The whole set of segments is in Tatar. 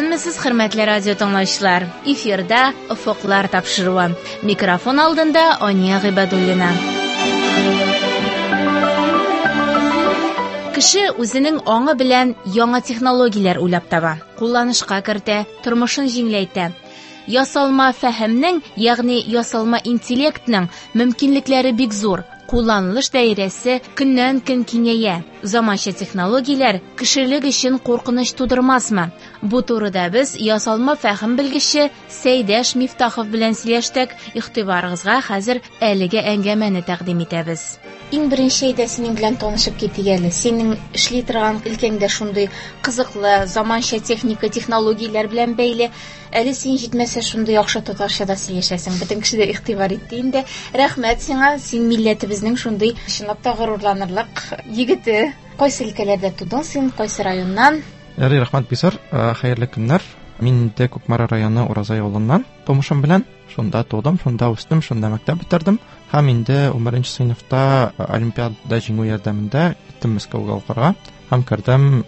Исәнмесез, хөрмәтле радио тыңлаучылар. Эфирда Офыклар тапшыруы. Микрофон алдында Ания Гыйбадуллина. Кеше үзенең аңы белән яңа технологияләр уйлап таба, кулланышка кертә, тормышын җиңеләйтә. Ясалма фәһемнең, ягъни ясалма интеллектның мөмкинлекләре бик зур. Кулланылыш даирәсе көннән-көн киңәя. Заманча технологияләр кешелек өчен куркыныч тудырмасмы? Бу турыда без ясалма фәһем белгече Сәйдәш Мифтахов белән сөйләштек. Игътибарыгызга хәзер әлеге әңгәмәне тәкъдим итәбез. Иң беренче әйдә синең белән танышып китик әле. Синең эшли торган өлкәң дә шундый кызыклы, заманча техника, технологияләр белән бәйле. Әле син җитмәсә шундый яхшы татарча да сөйләшәсең. Бөтен кеше дә игътибар итте инде. Рәхмәт сиңа, син милләтебезнең шундый чынлап та горурланырлык егете. Кайсы өлкәләрдә тудың син, кайсы районнан? Ярый, рәхмәт, Бисар. Хәерле көннәр. Мин инде Кукмара районы Уразай авылыннан тумышым белән. Шунда тудым, шунда үстем, шунда мәктәп бетердем. Һәм инде 11 сыйныфта олимпиадада җиңү ярдәмендә киттем Мәскәүгә укырга. Һәм кердем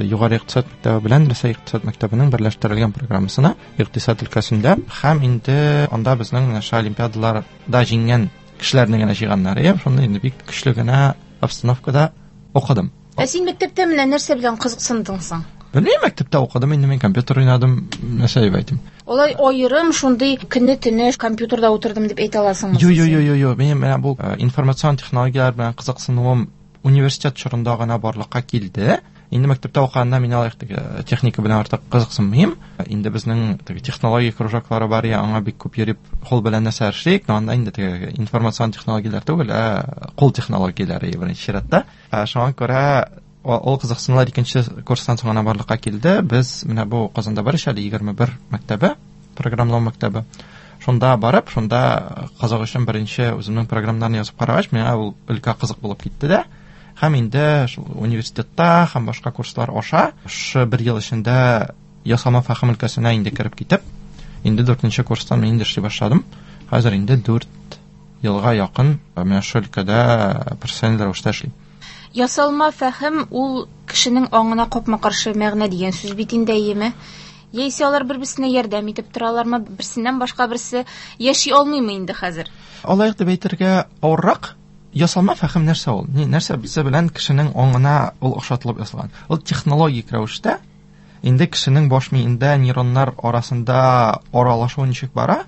Югары икътисад мәктәбе белән Рәсәй икътисад мәктәбенең берләштерелгән программасына икътисад өлкәсендә. Һәм инде анда безнең менә шул олимпиадаларда җиңгән кешеләрне генә җыйганнар. Һәм шунда инде бик көчле генә обстановкада укыдым. Ә син мәктәптә менә нәрсә белән кызыксындың соң? Белмим, мәктәптә укыдым, инде мин компьютер уйнадым, нәрсә дип әйтим. Алай аерым шундый көне-төне компьютерда утырдым дип әйтә аласыңмы? Юк, юк, юк, юк, минем менә бу информацион технологияләр белән кызыксынуым университет чорында гына барлыкка килде. Инде мәктәптә укыганда мин алай теге техника белән артык кызыксынмыйм. Инде безнең теге технология кружоклары бар, я аңа бик күп йөреп кул белән нәрсә эшлик, но анда инде теге информацион технологияләр түгел, ә кул технологияләре беренче чиратта. Шуңа күрә ул кызыксынулар икенче курстан соң гына барлыкка килде. Без менә бу Казанда бар ич әле 21 мәктәбе, программалау мәктәбе. Шунда барып, шунда кызык өчен беренче үземнең программаларны язып карагач, миңа ул өлкә кызык булып китте дә. Һәм инде шул университетта һәм башка курслар аша шушы бер ел эчендә ясалма фәһем өлкәсенә инде кереп китеп, инде 4 курстан мин инде эшли башладым. Хәзер инде 4 елга якын менә шул өлкәдә профессиональ рәвештә эшлим. Ясалма фәһем ул кешенең аңына капма-каршы мәгънә дигән сүз бит инде, әйеме? Яисә алар бер-берсенә ярдәм итеп торалармы, берсеннән башка берсе яши алмыймы инде хәзер? Алай дип әйтергә авыррак. Ясалма фәһем нәрсә ул? Ни, нәрсә безе белән кешенең аңына ул охшатылып ясалган? Ул технологик рәвештә инде кешенең баш миендә нейроннар арасында аралашу ничек бара,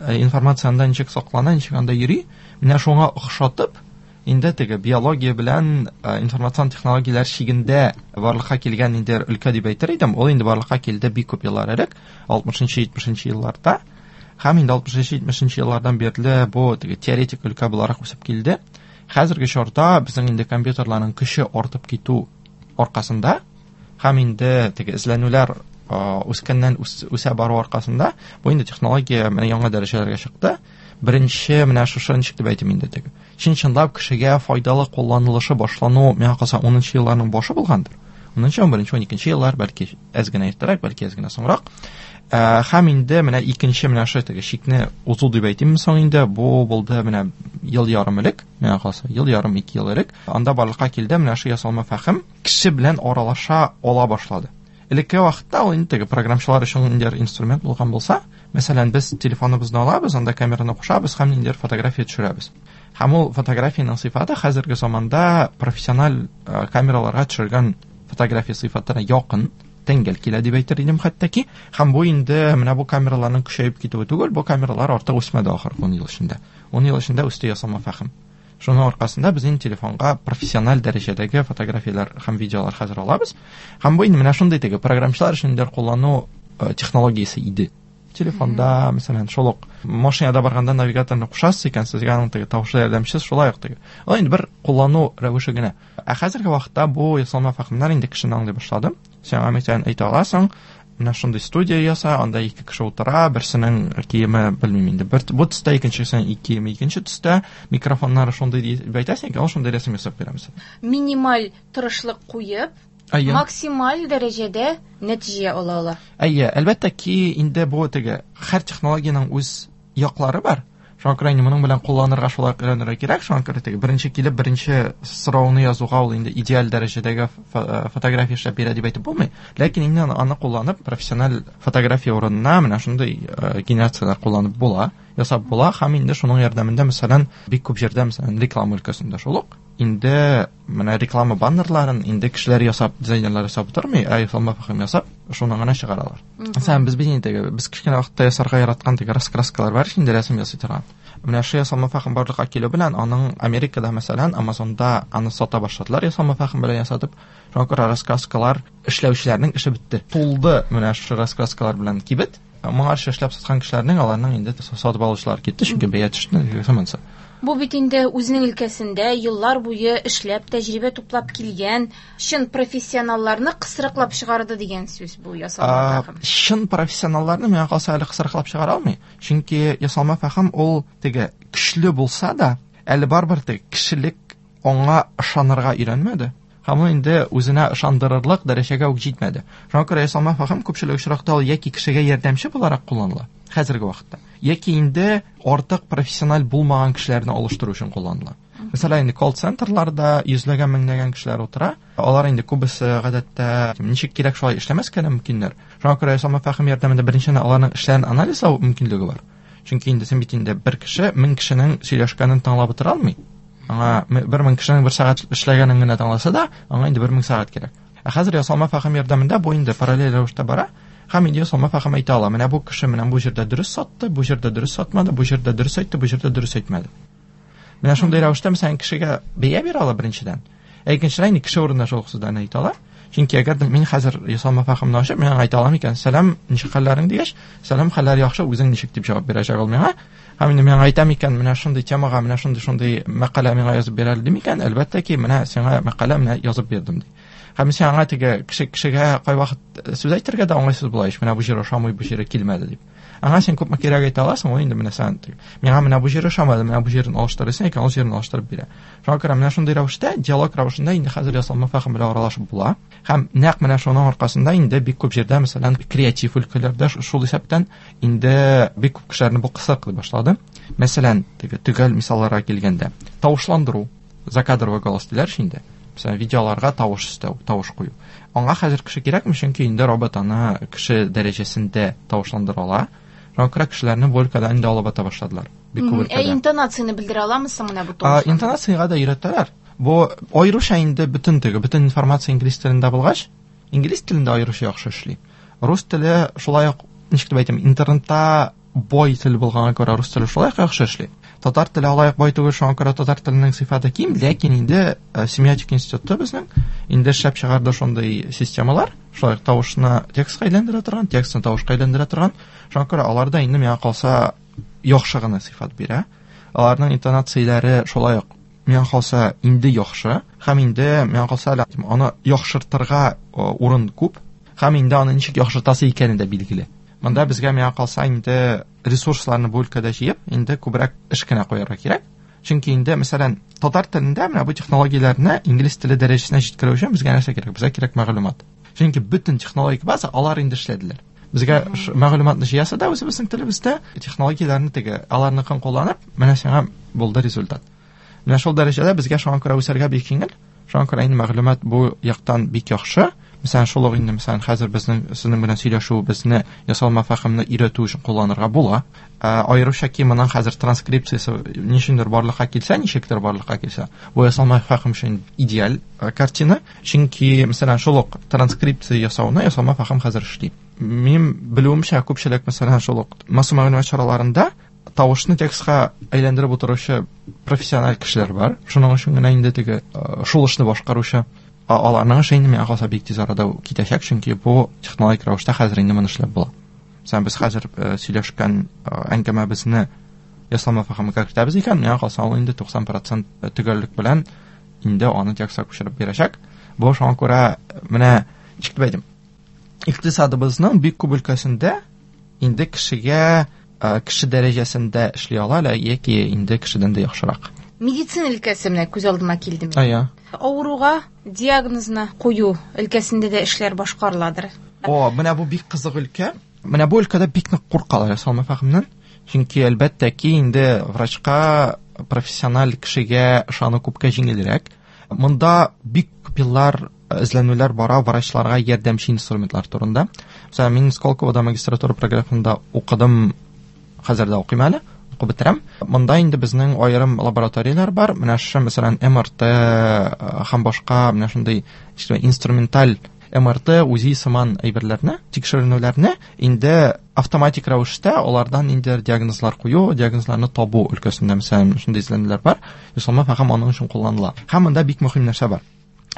информация анда ничек саклана, ничек анда йөри, менә шуңа охшатып, инде теге биология белән информацион технологияләр чигендә барлыкка килгән инде өлкә дип әйтер идем. Ул инде барлыкка килде бик күп еллар элек, 60-70 елларда. Һәм инде 60-70 еллардан бирле бу теге теоретик өлкә буларак үсеп килде. Хәзерге чорда безнең инде компьютерларның көче артып китү аркасында һәм инде теге эзләнүләр үскәннән үсә бару аркасында бу инде технология менә яңа дәрәҗәләргә чыкты. Беренче менә шушы ничек дип әйтим инде теге чын-чынлап кешегә файдалы кулланылышы башлану миңа калса 10 елларның башы булгандыр. 10, 11, 12 еллар, бәлки әз генә иртәрәк, бәлки әз генә соңрак. Һәм инде менә икенче менә шул теге чикне узу дип әйтимме соң инде, бу булды менә ел ярым элек, миңа калса, ел ярым, ике ел элек. Анда барлыкка килде менә шул ясалма фәһем кеше белән аралаша ала башлады. Элекке вакытта ул инде теге программчылар өчен ниндидер инструмент булган булса, мәсәлән, без телефоныбызны алабыз, анда камераны кушабыз һәм ниндидер фотография төшерәбез. Һәм ул фотографиянең сыйфаты хәзерге заманда профессиональ камераларга төшергән фотография сыйфатына якын, тәңгәл килә дип әйтер идем хәтта ки. Һәм бу инде менә бу камераларның көчәеп китүе түгел, бу камералар артык үсмәде ахыргы 10 ел эчендә. 10 ел эчендә үсте ясалма фәһем. Шуның аркасында без инде телефонга профессиональ дәрәҗәдәге фотографияләр һәм видеолар хәзер алабыз. Һәм бу инде менә шундый теге программчылар өчен инде куллану технологиясе иде. Телефонда, мәсәлән, шул ук машинада барганда навигаторны кушасыз икән, сезгә аның теге тавышлы ярдәмчесе шулай ук теге. Ул инде бер куллану рәвеше генә. Ә хәзерге вакытта бу ясалма фәһемнәр инде кешене аңлый башлады. Син аңа мәсәлән әйтә аласың, менә шундый студия яса, анда ике кеше утыра, берсенең киеме, белмим инде, бер бу төстә, икенчесенең киеме икенче төстә, микрофоннары шундый дип әйтәсең икән, ул шундый рәсем ясап бирә мәсәлән. Минималь тырышлык куеп, максималь дәрәҗәдә нәтиҗә ала ала. Әйе, әлбәттә ки, инде бу теге һәр технологиянең үз яклары бар. Шуңа күрә инде моның белән кулланырга шулай ук өйрәнергә кирәк. Шуңа күрә теге беренче килеп беренче сорауны язуга ул инде идеаль дәрәҗәдәге фотография эшләп бирә дип әйтеп булмый. Ләкин инде аны кулланып профессиональ фотография урынына менә шундый генерацияләр кулланып була, ясап була һәм инде шуның ярдәмендә, мәсәлән, бик күп җирдә, мәсәлән, реклама өлкәсендә шул ук инде менә реклама баннерларын инде кешеләр ясап, дизайнерлар ясап тормый, ә ясалма фәһем ясап, шуны гына чыгаралар. Мәсәлән, без бит инде без кечкенә вакытта ясарга яраткан теге раскраскалар бар инде рәсем ясый торган. Менә шу ясалма фәһем барлыкка килү белән аның Америкада, мәсәлән, Амазонда аны сата башладылар ясалма фәһем белән ясатып. Шуңа күрә раскраскалар эшләүчеләрнең эше бетте. Тулды менә шу раскраскалар белән кибет. Моңарчы эшләп саткан кешеләрнең аларның инде сатып алучылар китте, чөнки бәя төште, монысы. Бу бит инде үзенең өлкәсендә еллар буе эшләп, тәҗрибә туплап килгән чын профессионалларны кысрыклап чыгарды дигән сүз бу ясалма фәһем. Чын профессионалларны миңа калса әле кысрыклап чыгара алмый. Чөнки ясалма фәһем ул теге көчле булса да, әле барыбер теге кешелек аңа ышанырга өйрәнмәде. Һәм ул инде үзенә ышандырырлык дәрәҗәгә үк җитмәде. Шуңа күрә ясалма фәһем күпчелек очракта ул яки кешегә ярдәмче буларак кулланыла хәзерге вакытта, яки инде артык профессиональ булмаган кешеләрне алыштыру өчен кулланыла. Мәсәлән, инде колл-центрларда йөзләгән, меңләгән кешеләр утыра. Алар инде күбесе гадәттә ничек кирәк шулай эшләмәскә дә мөмкиннәр. Шуңа күрә ясалма фәһем ярдәмендә беренчедән аларның эшләрен анализлау мөмкинлеге бар. Чөнки инде син бит инде бер кеше 1000 кешенең сөйләшкәнен тыңлап утыра алмый. Аңа 1000 кешенең бер сәгать эшләгәнен генә тыңласа да, аңа инде 1000 сәгать кирәк. Ә хәзер ясалма фәһем ярдәмендә бу инде параллель рәвештә бара. Һәм инде ясалма фәһем әйтә ала. Менә бу кеше менә бу җирдә дөрес сатты, бу җирдә дөрес сатмады, бу җирдә дөрес әйтте, бу җирдә дөрес әйтмәде. Менә шундый рәвештә мәсәлән кешегә бәя бирә ала беренчедән. Ә икенчедән инде кеше урынына шул сүзләрне әйтә ала. Чөнки әгәр дә мин хәзер ясалма фәһемне ачып, мин аңа әйтә алам икән, сәлам, ничек хәлләрең дигәч, сәлам, хәлләр яхшы, үзең ничек дип җавап бирәчәк ул миңа. Һәм инде миңа әйтәм икән, менә шундый темага, менә шундый мәкалә миңа язып бир әле дим икән, әлбәттә ки, менә сиңа мәкалә менә язып бирдем ди. Һәм син аңа теге кешегә кайвакыт сүз әйтергә дә уңайсыз була ич, менә бу җир ошамый, бу җире килмәде дип. Аңа син күпме кирәк әйтә аласың, ул инде менә сән миңа менә бу җире ошамады, менә бу җирен алыштыр дисең икән, ул җирен алыштырып бирә. Шуңа күрә менә шундый рәвештә, диалог рәвешендә инде хәзер ясалма фәһем белән аралашып була. Һәм нәкъ менә шуның аркасында инде бик күп җирдә, мәсәлән, креатив өлкәләрдә, шул исәптән инде бик күп кешеләрне бу кысрыклый башлады. Мәсәлән, теге төгәл мисалларга килгәндә, тавышландыру, закадровый голос диләр инде. Мәсәлән, видеоларга тавыш өстәү, тавыш кую. Аңа хәзер кеше кирәкме? Чөнки инде робот аны кеше дәрәҗәсендә тавышландыра ала. Шуңа күрә кешеләрне бу өлкәдән инде алып ата башладылар. Бик күп өлкәдә. Ә интонацияне белдерә аламы соң менә бу тавыш? Интонациягә дә өйрәтәләр. Бу аеруча инде бөтен теге, бөтен информация инглиз телендә булгач, инглиз телендә аеруча яхшы эшли. Рус теле шулай ук, ничек дип әйтим, интернетта бай тел булганга күрә рус теле шулай ук яхшы эшли. Татар теле алай ук бай түгел, шуңа күрә татар теленең сыйфаты ким, ләкин инде семиотик институты безнең инде эшләп чыгарды шундый системалар, шулай ук тавышны текстка әйләндерә торган, текстны тавышка әйләндерә торган. Шуңа күрә алар да инде миңа калса яхшы гына сыйфат бирә. Аларның интонацияләре шулай ук миңа калса инде яхшы, һәм инде миңа калса әле аны яхшыртырга урын күп, һәм инде аны ничек яхшыртасы икәне дә билгеле. Монда безгә миңа калса инде ресурсларны бу өлкәдә җыеп, инде күбрәк эш кенә куярга кирәк. Чөнки инде, мәсәлән, татар телендә менә бу технологияләрне инглиз теле дәрәҗәсенә җиткерү өчен безгә нәрсә кирәк? Безгә кирәк мәгълүмат. Чөнки бөтен технологик база алар инде эшләделәр. Безгә мәгълүматны җыясы да үзебезнең телебездә, технологияләрне теге аларныкын кулланып, менә сиңа булды результат. Менә шул дәрәҗәдә безгә шуңа күрә үсәргә бик җиңел. Шуңа күрә инде мәгълүмат бу яктан бик яхшы. Мәсәлән, шул ук инде, мәсәлән, хәзер безнең сезнең белән сөйләшүебезне ясалма фәһемне өйрәтү өчен кулланырга була. Аеруча ки моның хәзер транскрипциясе ничектер барлыкка килсә, ничектер барлыкка килсә, бу ясалма фәһем өчен идеаль картина. Чөнки, мәсәлән, шул ук транскрипция ясауны ясалма фәһем хәзер эшли. Минем белүемчә, күпчелек, мәсәлән, шул ук масса мәгълүмат чараларында тавышны текстка әйләндереп утыручы профессиональ кешеләр бар. Шуның өчен генә инде теге шул эшне башкаручы. Аларның эше инде миңа калса бик тиз арада китәчәк, чөнки бу технологик рәвештә хәзер инде моны эшләп була. Мәсәлән, без хәзер сөйләшкән әңгәмәбезне ясалма фәһемгә кертәбез икән, миңа калса ул инде 90% төгәллек белән инде аны текстка күчереп бирәчәк. Бу шуңа күрә менә ничек дип әйтим, икътисадыбызның бик күп өлкәсендә инде кешегә кеше дәрәҗәсендә эшли ала, яки инде кешедән дә яхшырак. Медицина өлкәсе менә күз алдыма килде. Авыруга диагнозны кую өлкәсендә дә эшләр башкарыладыр. О, менә бу бик кызык өлкә. Менә бу өлкәдә бик нык куркалар ясалма фәһемнән. Чөнки әлбәттә ки инде врачка, профессиональ кешегә ышану күпкә җиңелрәк. Монда бик күп еллар эзләнүләр бара врачларга ярдәмче инструментлар турында. Мәсәлән, мин Сколковода магистратура программасында укыдым, хәзер дә укыйм әле, укып бетерәм. Монда инде безнең аерым лабораторияләр бар. Менә шушы, мәсәлән, МРТ һәм башка менә шундый инструменталь МРТ, УЗИ сыман әйберләрне, тикшеренүләрне инде автоматик рәвештә алардан инде диагнозлар кую, диагнозларны табу өлкәсендә, мәсәлән, шундый эзләнүләр бар. Ясалма фәһем аның өчен кулланыла. Һәм монда бик мөһим нәрсә бар.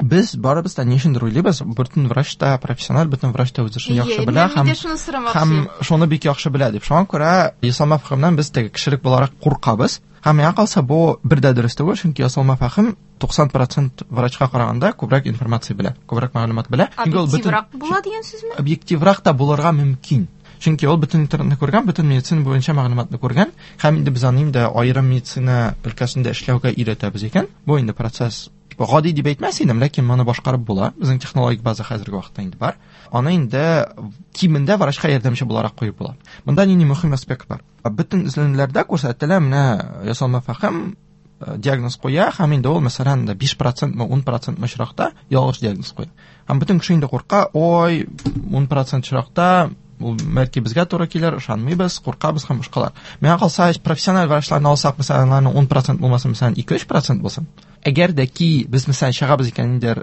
Без барыбыз да ни өчендер уйлыйбыз, бөтен врач та профессиональ, бөтен врач та үз эшен яхшы белә һәм шуны бик яхшы белә дип. Шуңа күрә ясалма фәһемнән без теге кешелек буларак куркабыз. Һәм миңа калса, бу бер дә дөрес түгел, чөнки ясалма фәһем 90% врачка караганда күбрәк информация белә, күбрәк мәгълүмат белә. Объективрак була дигән сүзме? Объективрак та булырга мөмкин. Чөнки ул бөтен интернетны күргән, бөтен медицина буенча мәгълүматны күргән, һәм инде без аны инде аерым медицина өлкәсендә эшләүгә өйрәтәбез икән. Бу инде процесс гади дип әйтмәс идем, ләкин моны башкарып була. Безнең технологик база хәзерге вакытта инде бар. Аны инде кимендә врачка ярдәмче буларак куеп була. Монда нинди мөһим аспект бар? Бөтен эзләнүләрдә күрсәтелә, менә ясалма фәһем диагноз куя, һәм инде ул, мәсәлән, 5% мы, 10% мы очракта ялгыш диагноз куя. Һәм бөтен кеше инде курка, ой, 10% очракта ул бәлки безгә туры килер, ышанмыйбыз, куркабыз һәм башкалар. Миңа калса, профессиональ врачларны алсак, мәсәлән, аларның 10% булмаса, мәсәлән, 2-3% булсын. Әгәр дә ки без, мәсәлән, чыгабыз икән инде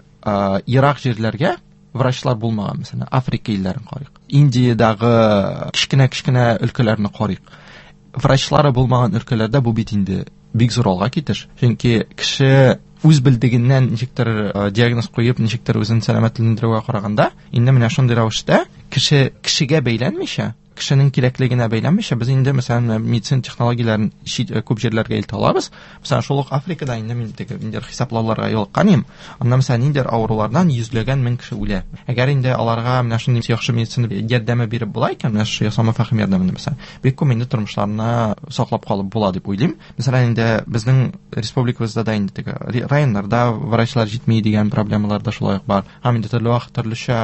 ерак җирләргә, врачлар булмаган, мәсәлән, Африка илләрен карыйк, Индиядагы кечкенә-кечкенә өлкәләрне карыйк. Врачлары булмаган өлкәләрдә бу бит инде бик зур алга китеш. Чөнки кеше үз белдегеннән ничектер диагноз куеп, ничектер үзен сәламәтләндерүгә караганда, инде менә шундый рәвештә кеше кешегә бәйләнмичә, кешенең кирәклегенә бәйләнмичә, без инде, мәсәлән, медицина технологияләрен чит күп җирләргә илтә алабыз. Мәсәлән, шул ук Африкада инде мин теге ниндидер хисаплауларга юлыккан идем. Анда, мәсәлән, ниндидер авырулардан йөзләгән мең кеше үлә. Әгәр инде аларга менә шундый яхшы медицина ярдәме биреп була икән, менә шушы ясалма фәһем ярдәмендә, мәсәлән, бик күп инде тормышларны саклап калып була дип уйлыйм. Мәсәлән, инде безнең республикабызда да инде теге районнарда врачлар җитми дигән проблемалар да шулай ук бар. Һәм инде төрле вакыт төрлечә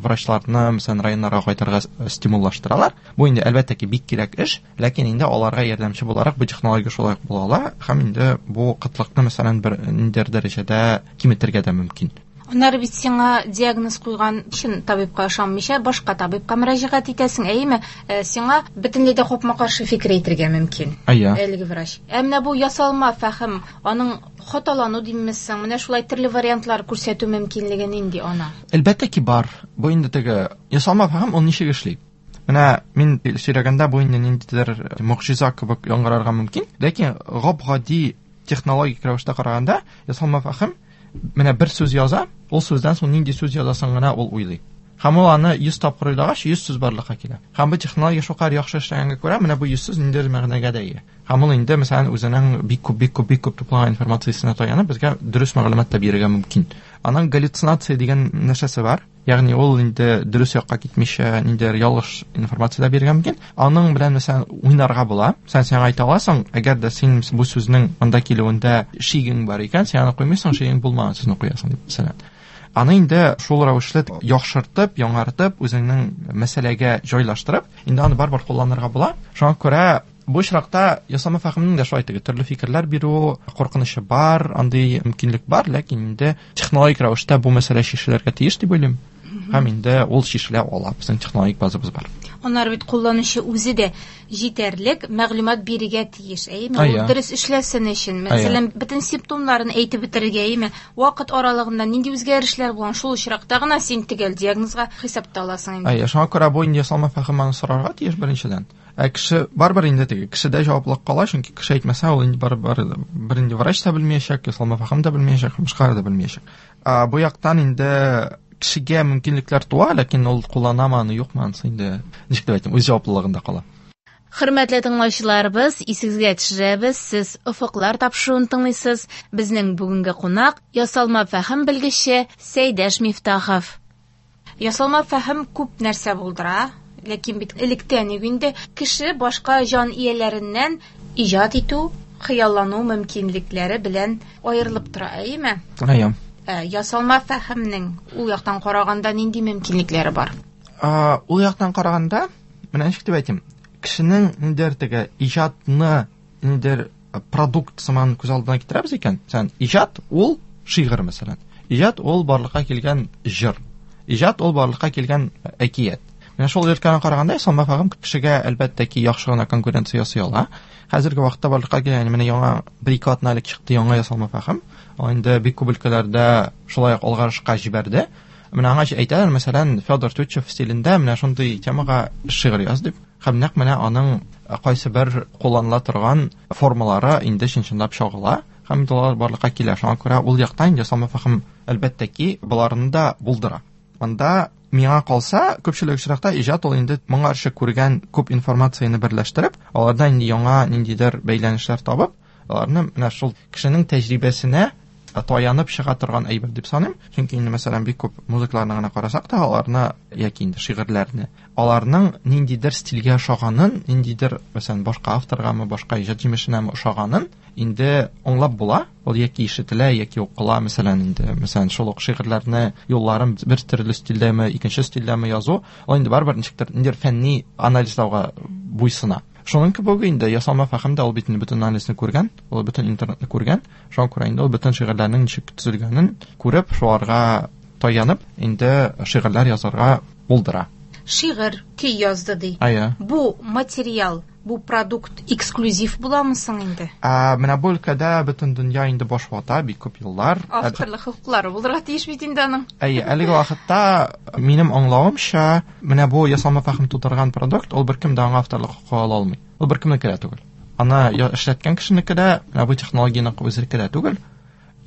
врачларны, мәсәлән, районнарга кайтырга стимуллаштыралар. Бу инде әлбәттә ки бик кирәк эш, ләкин инде аларга ярдәмче буларак бу технология шулай ук була ала, һәм инде бу кытлыкны, мәсәлән, бер ниндидер дәрәҗәдә киметергә дә мөмкин. Аннары бит сиңа диагноз куйган чын табибка ышанмыйча, башка табибка мөрәҗәгать итәсең, әйеме? Сиңа бөтенләй дә капма-каршы фикер әйтергә мөмкин. Әйе. Әлеге врач. Ә менә бу ясалма фәһем, аның хаталану димме соң, менә шулай төрле вариантлар күрсәтү мөмкинлеге нинди ана? Әлбәттә ки бар. Бу инде теге ясалма фәһем ул ничек эшли? Менә мин сөйләгәндә бу инде ниндидер могҗиза кебек яңгырарга мөмкин, ләкин гап-гади технологик рәвештә караганда ясалма фәһем менә бер сүз яза, ул сүздән соң нинди сүз язасың гына ул уйлый. Һәм ул аны 100 тапкыр уйлагач, 100 сүз барлыкка килә. Һәм бу технология шулкадәр яхшы эшләгәнгә күрә, менә бу 100 сүз ниндидер мәгънәгә дә ия. Һәм ул инде, мәсәлән, үзенең бик күп, бик күп, бик күп туплаган информациясенә таянып, безгә дөрес мәгълүмат та бирергә мөмкин. Аның галлюцинация дигән нәрсәсе бар. Ягъни ул инде дөрес якка китмичә, ниндидер ялгыш информация дә бирергә мөмкин. Аның белән, мәсәлән, уйнарга була. Мәсәлән, сиңа әйтә аласың, әгәр дә син бу сүзнең монда килүендә шигең бар икән, син аны куймыйсың, шигең булмаган сүзне куясың дип, мәсәлән. Аны инде шул рәвешле яхшыртып, яңартып, үзеңнең мәсьәләгә җайлаштырып, инде аны барыбер кулланырга була. Шуңа күрә бу очракта ясалма фәһемнең дә шулай теге төрле фикерләр бирү куркынычы бар, андый мөмкинлек бар, ләкин инде технологик рәвештә бу мәсьәлә чишелергә тиеш дип уйлыйм. Һәм инде ул чишелә ала, безнең технологик базабыз бар. Аннары бит кулланучы үзе дә җитәрлек мәгълүмат бирергә тиеш, әйеме? Ул дөрес эшләсен өчен, мәсәлән, бөтен симптомнарын әйтеп бетерергә, әйеме? Вакыт аралыгында нинди үзгәрешләр булган, шул очракта гына син төгәл диагнозга хисапта аласың инде. Әйе, шуңа күрә бу инде ясалма фәһем аны сорарга тиеш беренчедән. Ә кеше барыбер инде теге кешедә җаваплылык кала, чөнки кеше әйтмәсә, ул инде барыбер бер инде врач та белмәячәк, ясалма фәһем дә белмәячәк, башкалар да белмәячәк. Бу яктан инде кешегә мөмкинлекләр туа, ләкин ул кулланамы аны, юкмы, анысы инде ничек дип әйтим, үз җаваплылыгында кала. Хөрмәтле тыңлаучыларыбыз, исегезгә төшерәбез, сез Офыклар тапшыруын тыңлыйсыз. Безнең бүгенге кунак ясалма фәһем белгече Сәйдәш Мифтахов. Ясалма фәһем күп нәрсә булдыра, ләкин бит электән үк инде кеше башка җан ияләреннән иҗат итү, хыяллану мөмкинлекләре белән аерылып тора, әйеме? Әйе. Ясалма фәһемнең ул яктан караганда нинди мөмкинлекләре бар? Ул яктан караганда, менә ничек дип әйтим, Кешенең ниндидер теге иҗатны ниндидер продукт сыман күз алдына китерәбез икән, мәсәлән, иҗат ул шигырь, мәсәлән. Иҗат ул барлыкка килгән җыр. Иҗат ул барлыкка килгән әкият. Менә шул өлкәне караганда, ясалма фәһем кешегә әлбәттә ки яхшы гына конкуренция ясый ала. Хәзерге вакытта барлыкка килгән, менә яңа бер-ике атна элек чыкты яңа ясалма фәһем. Ул инде бик күп өлкәләрдә шулай ук алгарышка җибәрде. Менә аңа әйтәләр, мәсәлән, Федор Тютчев стилендә менә шундый темага шигырь яз дип. Һәм нәкъ менә аның кайсы бер кулланыла торган формалары инде чын-чынлап чагыла һәм инде алар барлыкка килә. Шуңа күрә ул яктан ясалма фәһем әлбәттә ки боларны да булдыра. Монда миңа калса, күпчелек очракта иҗат ул инде моңарчы күргән күп информацияне берләштереп, алардан инде яңа ниндидер бәйләнешләр табып, аларны менә шул кешенең тәҗрибәсенә таянып чыга торган әйбер дип саныйм. Чөнки инде, мәсәлән, бик күп музыкаларны гына карасак та, аларны яки инде шигырьләрне, аларның ниндидер стильгә ошаганын, ниндидер, мәсәлән, башка авторгамы, башка иҗат җимешенәме ошаганын инде аңлап була. Ул яки ишетелә, яки укыла, мәсәлән, инде, мәсәлән, шул ук шигырьләрне юлларын бер төрле стильдәме, икенче стильдәме язу, ул инде барыбер ничектер ниндидер фәнни анализлауга буйсына. Шуның кебек инде ясалма фәһем дә ул бит инде бөтен анализны күргән, ул бөтен интернетны күргән. Шуңа күрә инде ул бөтен шигырьләрнең ничек төзелгәнен күреп, шуларга таянып, инде шигырьләр язарга булдыра. Шигырь, көй язды ди. Әйе. Бу материал, бу продукт эксклюзив буламы соң инде? Менә бу өлкәдә бөтен дөнья инде баш вата бик күп еллар. Авторлык хокуклары булырга тиеш бит инде аның. Әйе, әлеге вакытта минем аңлавымча, менә бу ясалма фәһем тудырган продукт, ул беркем дә аңа авторлык хокукы ала алмый. Ул беркемнеке дә түгел. Аны эшләткән кешенеке дә, менә бу технологияне үзенеке дә түгел.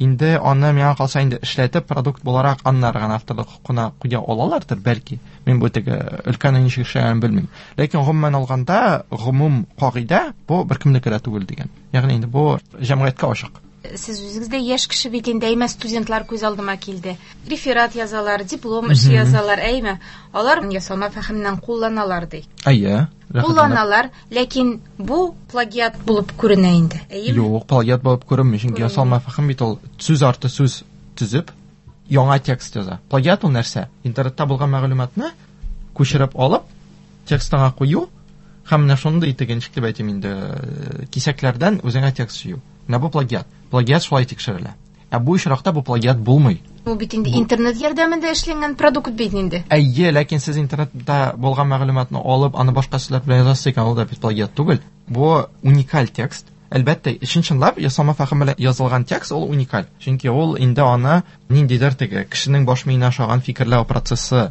Инде аны миңа калса инде эшләтеп продукт буларак аннары гына авторлык хокукына куя алалардыр, бәлки. Мин бу теге өлкәнең ничек эшләгәнен белмим. Ләкин гомумән алганда, гомум кагыйдә бу беркемнеке дә түгел дигән. Ягъни инде бу җәмгыятькә ачык. Сез үзегез дә яшь кеше бит инде, әйме, студентлар күз алдыма килде. Реферат язалар, диплом эше язалар, әйме. Алар ясалма фәһемнән кулланалар ди. Әйе, рәхәтләнеп. Кулланалар, ләкин бу плагиат булып күренә инде. Әйеме? Юк, плагиат булып күренми, чөнки Күренми. ясалма фәһем бит ул сүз арты сүз төзеп яңа текст яза. Плагиат ул нәрсә? Интернетта булган мәгълүматны күчереп алып, текстыңа кую һәм менә шундый теге, ничек дип әйтим инде, кисәкләрдән үзеңә текст җыю. Менә бу плагиат. Плагиат шулай тикшерелә. Ә бу очракта бу плагиат булмый. Бу бит инде интернет ярдәмендә эшләнгән продукт бит инде. Әйе, ләкин сез интернетта булган мәгълүматны алып, аны башка сүзләр белән язасыз икән, ул да бит плагиат түгел. Бу уникаль текст. Әлбәттә, чын-чынлап ясалма фәһем белән язылган текст ул уникаль. Чөнки ул инде аны ниндидер теге кешенең баш миенә ошаган фикерләү процессы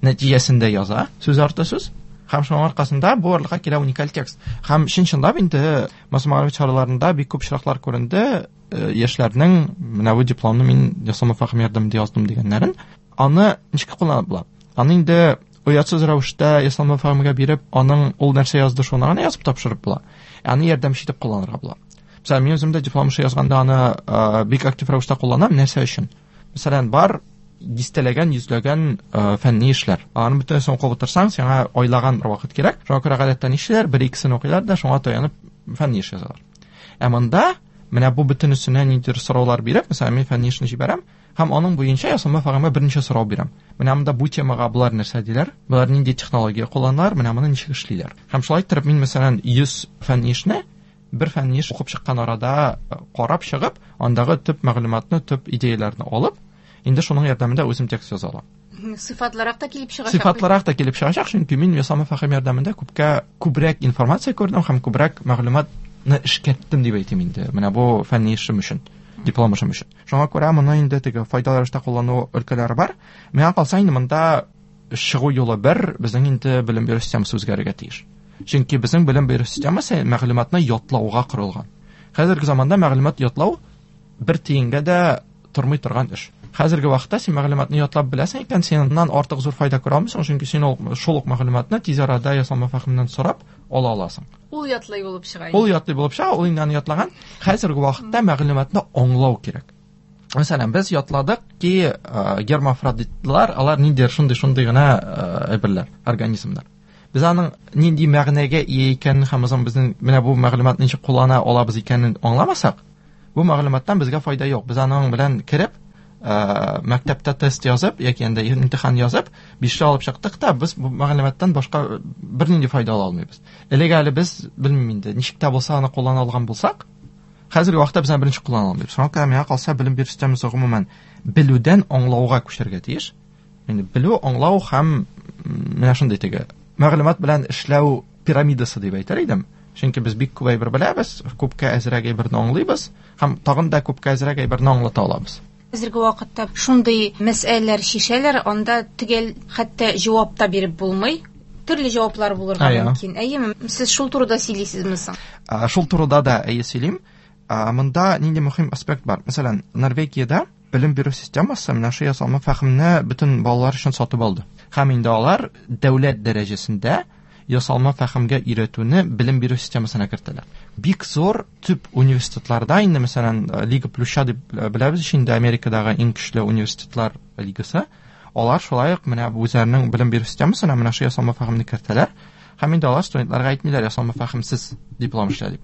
нәтиҗәсендә яза, сүз арты сүз. Һәм шуның аркасында бу барлыкка килә уникаль текст. Һәм чын-чынлап инде масса мәгълүмат чараларында бик күп очраклар күренде, яшьләрнең менә бу дипломны мин ясалма фәһем ярдәмендә яздым дигәннәрен. Аны ничек кулланып була? Аны инде оятсыз рәвештә ясалма фәһемгә биреп, аның ул нәрсә язды, шуны гына язып тапшырып була. Аны ярдәмче итеп кулланырга була. Мәсәлән, мин үзем дә диплом эше язганда аны бик актив рәвештә кулланам. Нәрсә өчен? Мәсәлән, бар дистәләгән, йөзләгән фәнни эшләр. Аларны бөтенесен укып утырсаң, сиңа айлаган бер вакыт кирәк. Шуңа күрә гадәттә нишлиләр? Бер икесен укыйлар да, шуңа таянып фәнни эш язалар. Ә монда менә бу бөтенесенә ниндидер сораулар биреп, мәсәлән, мин фәнни эшне җибәрәм һәм аның буенча ясалма фәһемгә берничә сорау бирәм. Менә монда бу темага болар нәрсә диләр? Болар нинди технология кулланалар? Менә моны ничек эшлиләр? Һәм шулай итеп мин, мәсәлән, 100 фәнни эшне бер фәнни эш укып чыккан арада карап чыгып, андагы төп мәгълүматны, төп идеяләрне алып, инде шуның ярдәмендә үзем текст яза алам. Сыйфатлырак та килеп чыгачак. Сыйфатлырак та килеп чыгачак, чөнки мин ясалма фәһем ярдәмендә күпкә күбрәк информация күрдем һәм күбрәк мәгълүматны эшкәрттем дип әйтим инде. Менә бу фәнни эшем өчен, диплом эшем өчен. Шуңа күрә моны инде теге файдалы рәвештә куллану өлкәләре бар. Миңа калса инде монда чыгу юлы бер, безнең инде белем бирү системасы үзгәрергә тиеш. Чөнки безнең белем бирү системасы мәгълүматны ятлауга корылган. Хәзерге заманда мәгълүмат ятлау бер тиенгә дә тормый торган эш. Хәзерге вакытта син мәгълүматны ятлап беләсең икән, син аннан артык зур файда күрә алмыйсың, чөнки син шул ук мәгълүматны тиз арада ясалма фәһемнән сорап ала аласың. Ул ятлый булып чыга инде. Ул ятлый булып чыга, ул инде аны ятлаган. Хәзерге вакытта мәгълүматны аңлау кирәк. Мәсәлән, без ятладык ки, гермафродитлар, алар ниндидер шундый-шундый гына әйберләр, организмнар. Без аның нинди мәгънәгә ия икәнен һәм үзен безнең менә бу мәгълүматны ничек куллана алабыз икәнен аңламасак, бу мәгълүматтан безгә файда юк. Без аның белән кереп, мәктәптә тест язып яки инде имтихан язып, бишле алып чыктык та, без бу мәгълүматтан башка бернинди файда ала алмыйбыз. Элек әле без, белмим инде, ничек тә булса аны куллана алган булсак, хәзерге вакытта без аны беренче куллана алмыйбыз. Шуңа күрә миңа калса, белем бирү системасы гомумән белүдән аңлауга күчәргә тиеш. Инде белү, аңлау һәм менә шундый теге мәгълүмат белән эшләү пирамидасы дип әйтер идем. Чөнки без бик күп әйбер беләбез, күпкә әзрәк әйберне аңлыйбыз һәм тагын да күпкә әзрәк әйберне аңлата алабыз. Хәзерге вакытта шундый мәсьәләләр чишәләр, анда төгәл хәтта җавап та биреп булмый. Төрле җаваплар булырга мөмкин. Әйеме? Сез шул турыда сөйлисезме соң? Шул турыда да әйе сөйлим. Монда нинди мөһим аспект бар? Мәсәлән, Норвегиядә белем бирү системасы менә шул ясалма фәһемне бөтен балалар өчен сатып алды. Һәм инде алар дәүләт дәрәҗәсендә ясалма фәһемгә өйрәтүне белем бирү системасына кертәләр. Бик зур төп университетларда инде, мәсәлән, Лига Плюща дип беләбез инде, Америкадагы иң көчле университетлар лигасы, алар шулай ук менә үзләренең белем бирү системасына менә шул ясалма фәһемне кертәләр. Һәм инде алар студентларга әйтмиләр, ясалма фәһемсез диплом эшлә дип.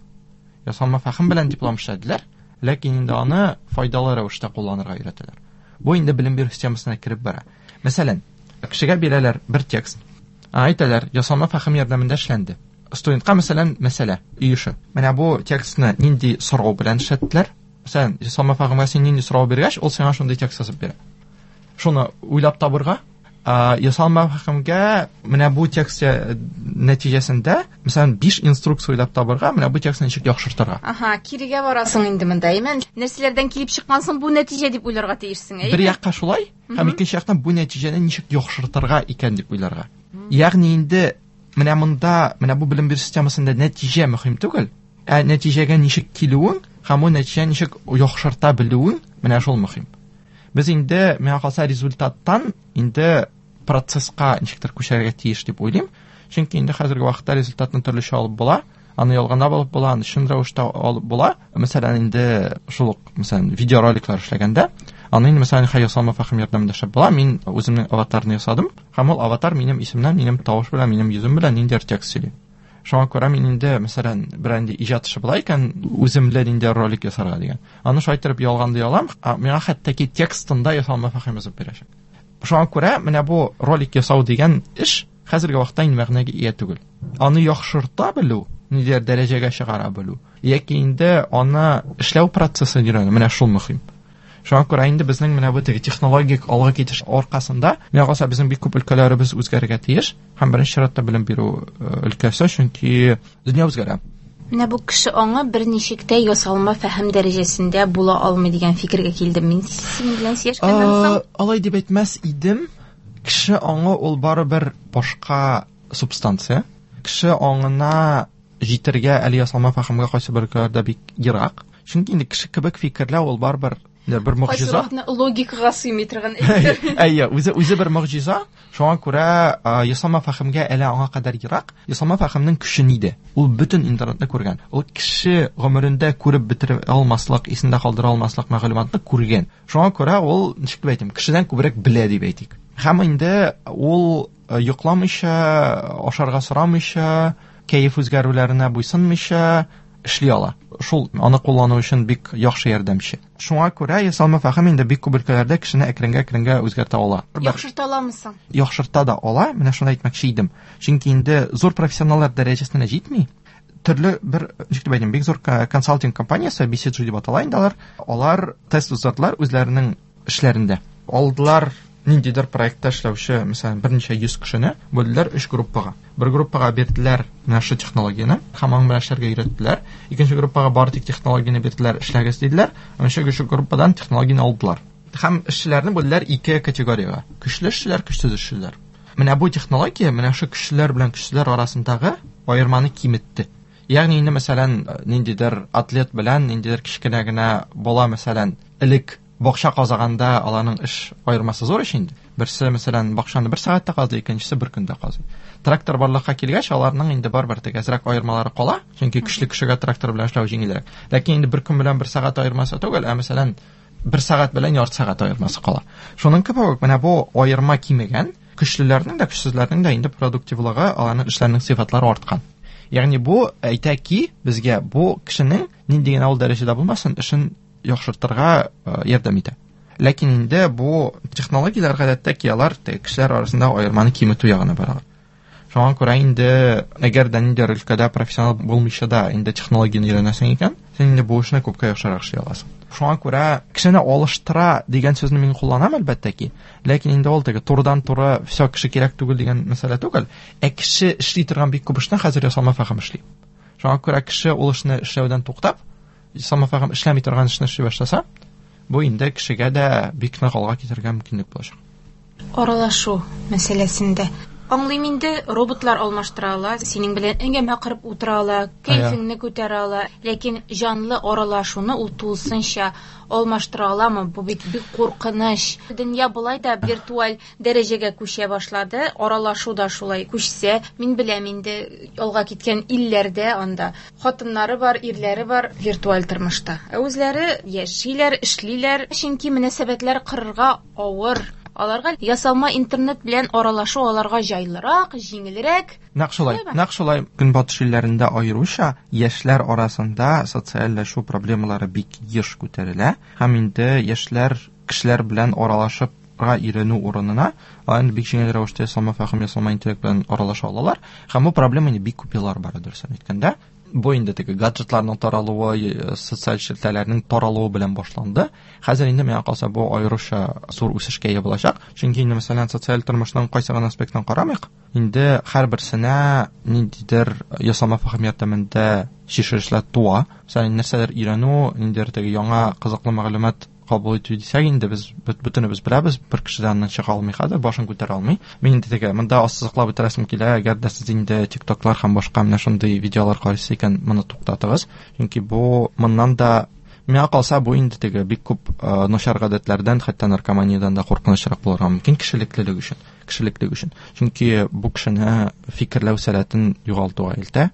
Ясалма фәһем белән диплом эшләделәр, ләкин инде аны файдалы рәвештә кулланырга өйрәтәләр. Бу инде белем бирү системасына кереп бара. Мәсәлән, кешегә бирәләр бер текст. Әйтәләр, ясалма фәһем ярдәмендә эшләнде. Студентка, мәсәлән, мәсьәлә, өй эше. Менә бу текстны нинди сорау белән эшләттеләр? Мәсәлән, ясалма фәһемгә син нинди сорау биргәч, ул сиңа шундый текст язып бирә. Шуны уйлап табырга, ясалма фәһемгә менә бу текст нәтиҗәсендә, мәсәлән, 5 инструкция уйлап табырга, менә бу текстны ничек яхшыртырга. Аһа, кирегә барасың инде монда, әйме? Нәрсәләрдән килеп чыккан соң бу нәтиҗә дип уйларга тиешсең, әйме? Бер якка шулай, һәм икенче яктан бу нәтиҗәне ничек яхшыртырга икән дип уйларга. Ягъни инде менә монда, менә бу белем бирү системасында нәтиҗә мөһим түгел, ә нәтиҗәгә ничек килүең һәм ул нәтиҗәне ничек яхшырта белүең, менә шул мөһим. Без инде, миңа калса, результаттан инде процесска ничектер күчәргә тиеш дип уйлыйм. Чөнки инде хәзерге вакытта результатны төрлечә алып була, аны ялганлап алып була, аны чын рәвештә алып була. Мәсәлән, инде шул ук, мәсәлән, видеороликлар эшләгәндә, аны инде, мәсәлән, ясалма фәһем ярдәмендә эшләп була. Мин үземнең аватарны ясадым, һәм ул аватар минем исемнән, минем тавыш белән, минем йөзем белән ниндидер текст сөйли. Шуңа күрә мин инде, мәсәлән, берәр инде иҗат эше була икән, үзем белән инде ролик ясарга дигән. Аны шулай итеп ялганлый алам, миңа хәтта ки текстында ясалма фәһем язып бирәчәк. Шуңа күрә менә бу ролик ясау дигән эш хәзерге вакытта инде мәгънәгә ия түгел. Аны яхшырта белү, ниндидер дәрәҗәгә чыгара белү, яки инде аны эшләү процессын өйрәнү, менә шул мөһим. Шуңа күрә инде безнең менә бу теге технологик алга китеш аркасында, миңа калса, безнең бик күп өлкәләребез үзгәрергә тиеш, һәм беренче чиратта белем бирү өлкәсе, чөнки дөнья үзгәрә. Менә бу кеше аңы берничек тә ясалма фәһем дәрәҗәсендә була алмый дигән фикергә килдем мин синең белән сөйләшкәннән соң. Алай дип әйтмәс идем. Кеше аңы ул барыбер башка субстанция. Кеше аңына җитәргә әле ясалма фәһемгә кайсы бер өлкәләрдә бик ерак. Чөнки инде кеше кебек фикерләү ул барыбер бер могҗиза. Кайсы логикага сыймый торган әйбер. Әйе, үзе бер могҗиза. Шуңа күрә ясалма фәһемгә әле аңа кадәр ерак. Ясалма фәһемнең көче нидә? Ул бөтен интернетны күргән. Ул кеше гомерендә күреп бетерә алмаслык, исендә калдыра алмаслык мәгълүматны күргән. Шуңа күрә ул, ничек дип әйтим, кешедән күбрәк белә дип әйтик. Һәм инде ул йокламыйча, ашарга сорамыйча, кәеф үзгәрүләренә буйсынмыйча эшли ала. Шул аны куллану өчен бик яхшы ярдәмче. Шуңа күрә ясалма фәһем инде бик күп өлкәләрдә кешене әкренге-әкренгә үзгәртә ала. Яхшырта аламы соң? Яхшырта да ала, менә шуны әйтмәкче идем. Чөнки инде зур профессионаллар дәрәҗәсенә җитми. Төрле бер, ничек дип әйтим, бик зур консалтинг компаниясе, BCG дип атала инде алар. Алар тест уздырдылар үзләренең эшләрендә. Алдылар ниндидер проектта эшләүче, мәсәлән, берничә йөз кешене бүлделәр өч группага. Бер группага бирделәр менә шу технологияне, һәм аның белән эшләргә өйрәттеләр. Икенче группага бары тик технологияне бирделәр, эшләгез диделәр. Өченче группадан технологияне алдылар. Һәм эшчеләрне бүлделәр ике категориягә: көчле эшчеләр, көчсез эшчеләр. Менә бу технология менә шу көчлеләр белән көчсезләр арасындагы аерманы киметте. Ягъни инде, мәсәлән, ниндидер атлет белән ниндидер кечкенә генә бала, мәсәлән, элек бакча казаганда аларның эш аермасы зур ич инде. Берсе, мәсәлән, бакчаны бер сәгатьтә казый, икенчесе бер көндә казый. Трактор барлыкка килгәч, аларның инде барыбер теге әзрәк аермалары кала, чөнки көчле кешегә трактор белән эшләү җиңелрәк. Ләкин инде бер көн белән бер сәгать аермасы түгел, ә мәсәлән, бер сәгать белән ярты сәгать аермасы кала. Шуның кебек үк менә бу аерма кимегән, көчлеләрнең дә, көчсезләрнең дә инде продуктивлыгы, аларның эшләренең сыйфатлары арткан. Ягъни бу әйтә ки, безгә бу кешенең нинди генә ул дәрәҗәдә булмасын, эшен яхшыртырга ярдәм итә. Ләкин инде бу технологияләр гадәттә ки алар кешеләр арасында аерманы киметү ягына баралар. Шуңа күрә инде әгәр дә ниндидер өлкәдә профессионал булмыйча да инде технологияне өйрәнәсең икән, син инде бу эшне күпкә яхшырак эшли аласың. Шуңа күрә кешене алыштыра дигән сүзне мин кулланам әлбәттә ки, ләкин инде ул теге турыдан-туры все кеше кирәк түгел дигән мәсьәлә түгел, ә кеше эшли торган бик күп эшне хәзер ясалма фәһем эшли. Шуңа күрә кеше ул эшне эшләүдән туктап, ясалма фәһем эшләми торган эшне эшли башласа, бу инде кешегә дә бик нык алга китәргә мөмкинлек булачак. Аралашу мәсьәләсендә аңлыйм инде, роботлар алмаштыра ала, синең белән әңгәмә корып утыра ала, кәефеңне күтәрә ала, ләкин җанлы аралашуны ул тулысынча алмаштыра аламы? Бу бит бик куркыныч. Дөнья болай да виртуаль дәрәҗәгә күчә башлады, аралашу да шулай күчсә, мин беләм инде, алга киткән илләрдә анда хатыннары бар, ирләре бар виртуаль тормышта. Ә үзләре яшиләр, эшлиләр, чөнки мөнәсәбәтләр корырга авыр. Аларга ясалма интернет белән аралашу аларга җайлырак, җиңелрәк. Нәкъ шулай, нәкъ шулай. Көнбатыш илләрендә аеруча яшьләр арасында социальләшү проблемалары бик еш күтәрелә. Һәм инде яшьләр кешеләр белән аралашып өйрәнү урынына, алар инде бик җиңел рәвештә ясалма фәһем, ясалма интеллект белән аралаша алалар. Һәм бу проблема инде бик күп еллар бара, дөресен әйткәндә. Бу инде теге гаджетларның таралуы, социаль челтәрләрнең таралуы белән башланды. Хәзер инде миңа калса бу аеруча зур үсешкә ия булачак. Чөнки инде мәсәлән социаль тормышның кайсы гына аспектын карамыйк, инде һәрберсенә ниндидер ясалма фәһем ярдәмендә чишелешләр туа. Мәсәлән, нәрсәләр өйрәнү, ниндидер теге яңа кызыклы мәгълүмат кабул итү дисәк, инде без бөтенебез беләбез, бер кеше дә аннан чыга алмый хәзер, башын күтәрә алмый. Мин инде теге монда ассызыклап үтерәсем килә, әгәр дә сез инде TikToклар һәм башка менә шундый видеолар карыйсыз икән, моны туктатыгыз. Чөнки бу моннан да миңа калса бу инде теге бик күп начар гадәтләрдән, хәтта наркоманиядән дә куркынычрак булырга мөмкин кешелеклелек өчен, кешелеклек өчен. Чөнки бу кешене фикерләү сәләтен югалтуга илтә,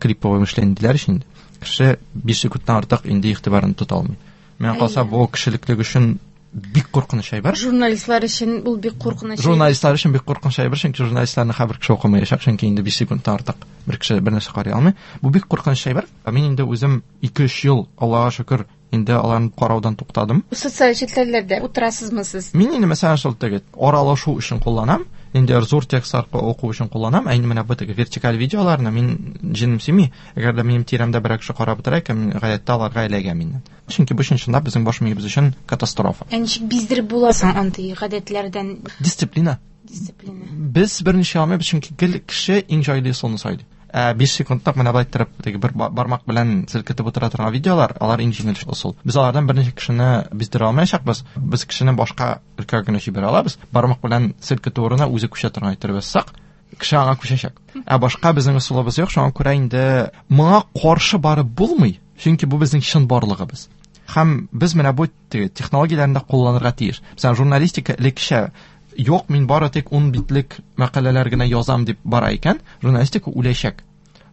клиповый мышление диләр инде. Кеше 5 секундтан артык инде игътибарын тота алмый. Миңа калса бу кешелеклек өчен бик куркыныч әйбер. Журналистлар өчен ул бик куркыныч. Журналистлар өчен бик куркыныч әйбер, чөнки журналистларны һәрбер кеше укымаячак, чөнки инде 5 секундтан артык бер кеше бер нәрсә карый алмый. Бу бик куркыныч әйбер. Мин инде үзем 2-3 ел, Аллага шөкер, инде аларны караудан туктадым. Социаль челтәрләрдә утырасызмы сез? Мин инде мәсәлән шул теге аралашу өчен кулланам, инде зур текстлар уку өчен кулланам, ә инде менә бу теге вертикаль видеоларны мин җенем сөйми. Әгәр дә минем тирәмдә берәр кеше карап утыра икән, мин гадәттә аларга эләгәм инде. Чөнки бу чынлап безнең баш миебез өчен катастрофа. Ә ничек биздереп була соң андый гадәтләрдән? Дисциплина. Дисциплина. Без берничә алмыйбыз, чөнки гел кеше иң җайлы ысулны сайлый. 5 секундта менә былай иттереп, теге бер бармак белән селкетеп утыра торган видеолар, алар иң җиңел ысул. Без алардан берничә кешене биздерә алмаячакбыз. Без кешене башка өлкәгә генә җибәрә алабыз. Бармак белән селкетү урынына үзе күчә торган иттереп ясасак, кеше аңа күчәчәк. Ә башка безнең ысулыбыз юк, шуңа күрә инде моңа каршы барып булмый, чөнки бу безнең чын барлыгыбыз. Һәм без менә бу технологияләрне дә кулланырга тиеш. Мәсәлән, журналистика элеккечә юк, мин бары тик 10 битлек мәкаләләр генә язам дип бара икән, журналистика үләчәк.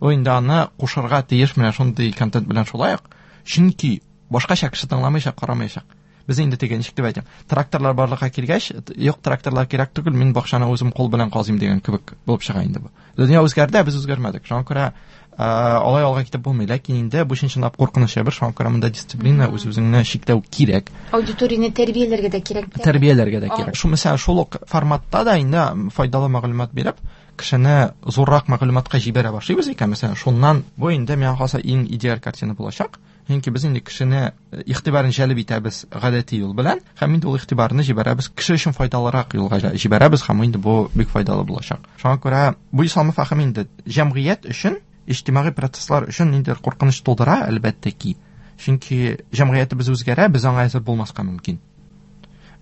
Ул инде аны кушырга тиеш менә шундый контент белән шулай ук, чөнки башкача кеше тыңламыйча, карамаячак. Без инде теге ничек дип әйтим, тракторлар барлыкка килгәч, юк, тракторлар кирәк түгел, мин бакчаны үзем кул белән казыйм дигән кебек булып чыга инде бу. Дөнья үзгәрде, без үзгәрмәдек. Шуңа күрә алай алга китеп булмый, ләкин инде бу чын-чынлап куркыныч әйбер, шуңа күрә монда дисциплина, үз-үзеңне чикләү кирәк. Аудиторияне тәрбияләргә дә кирәк. Тәрбияләргә дә кирәк. Шул мәсәлән, шул ук форматта да инде файдалы мәгълүмат биреп, кешене зуррак мәгълүматка җибәрә башлыйбыз икән, мәсәлән, шуннан бу инде миңа калса иң идеаль картина булачак. Чөнки без инде кешене игътибарын җәлеп итәбез гадәти юл белән, һәм инде ул игътибарны җибәрәбез, кеше өчен файдалырак юлга җибәрәбез, һәм инде бу бик файдалы булачак. Шуңа күрә бу ясалма фәһем инде җәмгыять өчен, иҗтимагый процесслар өчен ниндидер куркыныч тудыра, әлбәттә ки. Чөнки җәмгыятебез үзгәрә, без аңа әзер булмаска мөмкин.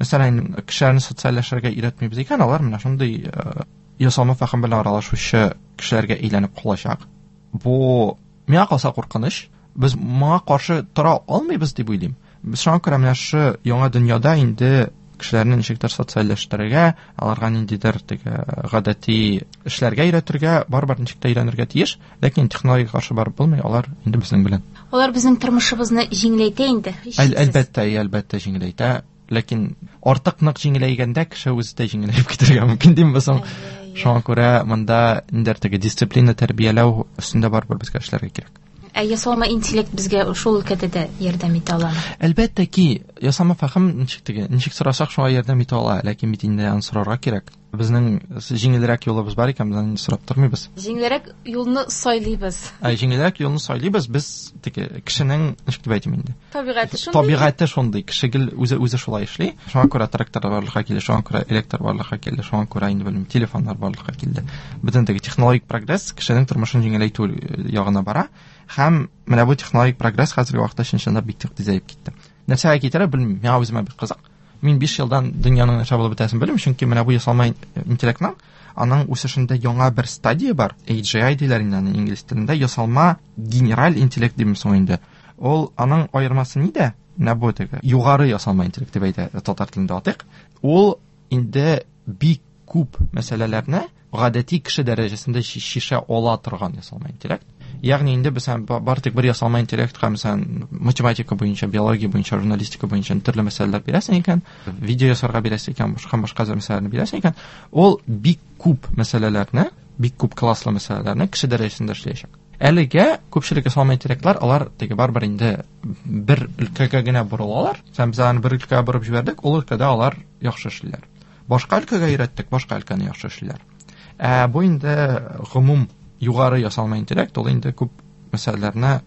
Мәсәлән, кешеләрне социальләшергә өйрәтмибез икән, алар менә шундый ясалма фәһем белән аралашучы кешеләргә әйләнеп калачак. Бу миңа калса куркыныч. Без моңа каршы тора алмыйбыз дип уйлыйм. Без шуңа күрә менә шушы яңа дөньяда инде кешеләрне ничектер социальләштерергә, аларга ниндидер теге гадәти эшләргә өйрәтергә, барыбер ничек тә өйрәнергә тиеш, ләкин технологиягә каршы барып булмый, алар инде безнең белән. Алар безнең тормышыбызны җиңеләйтә инде, һичшиксез. Әлбәттә, әлбәттә җиңеләйтә, ләкин артык нык җиңеләйгәндә кеше үзе дә җиңеләеп китәргә мөмкин дим без соң. Шуңа күрә монда ниндидер теге дисциплина тәрбияләү өстендә барыбер безгә эшләргә кирәк. Ә ясалма интеллект безгә шул өлкәдә дә ярдәм итә аламы? Әлбәттә ки, ясалма фәһем ничек теге, ничек сорасак шуңа ярдәм итә ала, ләкин бит инде аны сорарга кирәк. Безнең җиңелрәк юлыбыз бар икән, без аны сорап тормыйбыз. Җиңелрәк юлны сайлыйбыз. Ә җиңелрәк юлны сайлыйбыз, без теге кешенең, ничек дип әйтим инде? Табигате шундый. Табигате шундый, кеше гел үзе шулай эшли. Шуңа күрә трактор барлыкка килде, шуңа күрә электр барлыкка килде, шуңа күрә инде белмим, телефоннар барлыкка килде. Бөтен теге технологик прогресс кешенең тормышын җиңеләйтү ягына бара. Һәм менә бу технологик прогресс хәзерге вакытта чын-чынлап бик тизәеп китте. Нәрсәгә китерә белмим, миңа үземә бик кызык. Мин 5 елдан дөньяның нәрсә булып бетәсен белмим, чөнки менә бу ясалма интеллектның аның үсешендә яңа бер стадия бар. AGI диләр инде аны инглиз телендә, ясалма генераль интеллект димме соң инде. Ул аның аермасы нидә? Менә бу теге югары ясалма интеллект дип әйтә татар телендә атыйк. Ул инде бик күп мәсьәләләрне гадәти кеше дәрәҗәсендә шиша ала торган ясалма интеллект. Ягъни инде без бар тик бер ясалма интеллектка, мәсәлән, математика буенча, биология буенча, журналистика буенча төрле мәсьәләләр бирәсең икән, видео ясарга бирәсең икән, башка башка мәсьәләләрне бирәсең икән, ул бик күп мәсьәләләрне, бик күп класслы мәсьәләләрне кеше дәрәҗәсендә эшләячәк. Әлегә күпчелек ясалма интеллектлар, алар теге барыбер инде бер өлкәгә генә борылалар. Һәм без аларны бер өлкәгә борып җибәрдек, ул өлкәдә алар яхшы эшлиләр. Башка өлкәгә өйрәттек, башка өлкәне яхшы эшлиләр. Ә бу инде гомум югары ясалма интеллект, ул инде күп мәсьәләләрне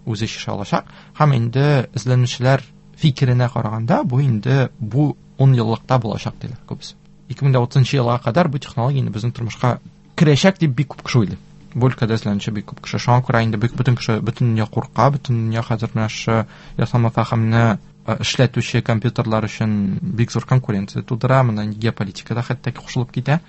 үзе чишә алачак. Һәм инде эзләнүчеләр фикеренә караганда, бу инде бу 10 еллыкта булачак диләр күбесе. 2030 елга кадәр бу технология инде безнең тормышка керәчәк дип бик күп кеше уйлый. Бу өлкәдә эзләнүче бик күп кеше. Шуңа күрә инде бик бөтен кеше, бөтен дөнья курка, бөтен дөнья хәзер менә шушы ясалма фәһемне эшләтүче компьютерлар өчен бик зур конкуренция тудыра, монда геополитикада хәтта кушылып китә.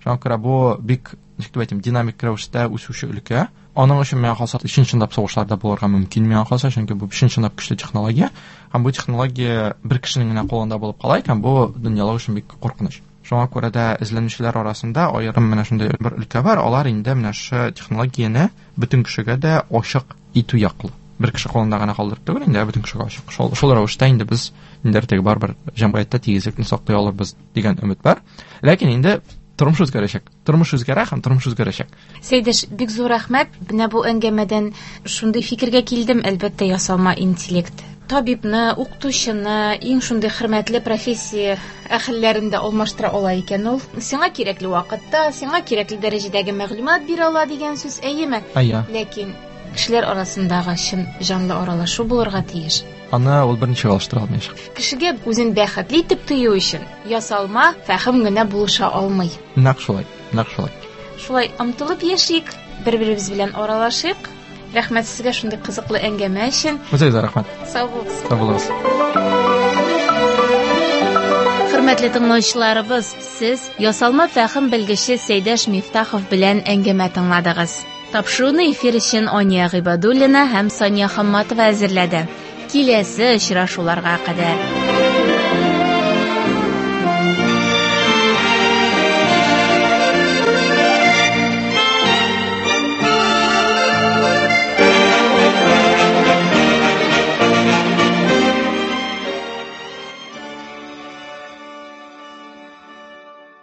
Шуңа күрә бу бик, ничек дип әйтим, динамик рәвештә үсүче өлкә. Аның өчен миңа калса, чын-чынлап сугышларда булырга мөмкин миңа калса, чөнки бу чын-чынлап көчле технология. Һәм бу технология бер кешенең генә кулында булып кала икән, бу дөньялык өчен бик куркыныч. Шуңа күрә дә эзләнүчеләр арасында аерым менә шундый бер өлкә бар, алар инде менә шушы технологияне бөтен кешегә дә ачык итү яклы. Бер кеше кулында гына калдырып түгел, инде бөтен кешегә ачык. Шул рәвештә инде без инде теге барыбер җәмгыятьтә тигезлекне саклый алырбыз дигән өмет бар. Ләкин инде тормыш үзгәрәчәк. Тормыш үзгәрә һәм тормыш үзгәрәчәк. Сәйдәш, бик зур рәхмәт. Менә бу әңгәмәдән шундый фикергә килдем, әлбәттә, ясалма интеллект табибны, укытучыны, иң шундый хөрмәтле профессия әһелләрен дә алмаштыра ала икән ул. Сиңа кирәкле вакытта, сиңа кирәкле дәрәҗәдәге мәгълүмат бирә ала дигән сүз, әйеме? Әйе. Ләкин кешеләр арасындагы чын җанлы аралашу булырга тиеш. Аны ул берничә алыштыра алмаячак. Кешегә үзен бәхетле итеп тою өчен ясалма фәһем генә булыша алмый. Нәкъ шулай, нәкъ шулай. Шулай омтылып яшик, бер-беребез белән аралашыйк. Рәхмәт сезгә шундый кызыклы әңгәмә өчен. Үзегезгә рәхмәт. Сау булыгыз. Сау булыгыз. Хөрмәтле тыңлаучыларыбыз, сез ясалма фәһем белгече Сәйдәш Мифтахов белән әңгәмә тыңладыгыз. Тапшыруны эфир өчен Ания Гыйбадуллина һәм Сания Хамматова әзерләде. Киләсе очрашуларга кадәр.